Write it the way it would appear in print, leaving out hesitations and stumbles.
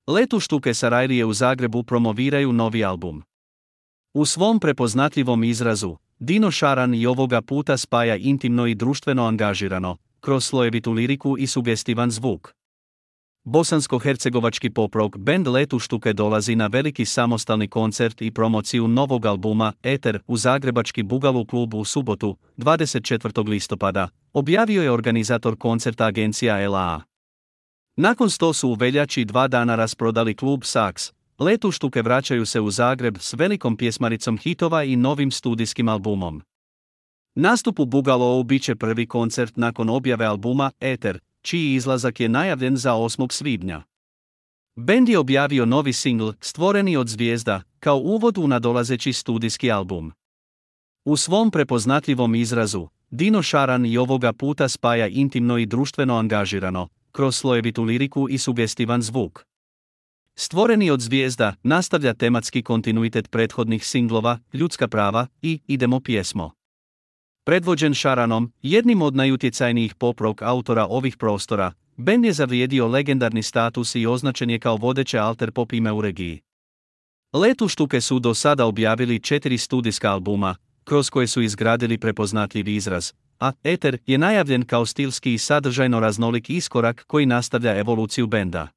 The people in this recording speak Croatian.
Letuštuke Sarajlije u Zagrebu promoviraju novi album. U svom prepoznatljivom izrazu, Dino Šaran i ovoga puta spaja intimno i društveno angažirano, kroz slojevitu liriku i sugestivan zvuk. Bosansko-hercegovački pop-rock band Letuštuke dolazi na veliki samostalni koncert i promociju novog albuma Eter u zagrebački Bugalu klub u subotu, 24. listopada, objavio je organizator koncerta agencija LA. Nakon što su u veljači 2 dana rasprodali klub Saks, Letuštuke vraćaju se u Zagreb s velikom pjesmaricom hitova i novim studijskim albumom. Nastup u Bugalou bit će prvi koncert nakon objave albuma Eter, čiji izlazak je najavljen za 8. svibnja. Bend je objavio novi singl, Stvoreni od zvijezda, kao uvod u nadolazeći studijski album. U svom prepoznatljivom izrazu, Dino Šaran i ovoga puta spaja intimno i društveno angažirano, kroz slojevitu liriku i sugestivan zvuk. Stvoreni od zvijezda nastavlja tematski kontinuitet prethodnih singlova, Ljudska prava i Idemo pjesmo. Predvođen Šaranom, jednim od najutjecajnijih pop-rock autora ovih prostora, bend je zavrijedio legendarni status i označen je kao vodeće alter pop ime u regiji. Letuštuke su do sada objavili 4 studijska albuma, kroz koje su izgradili prepoznatljiv izraz, a Eter je najavljen kao stilski i sadržajno raznolik iskorak koji nastavlja evoluciju benda.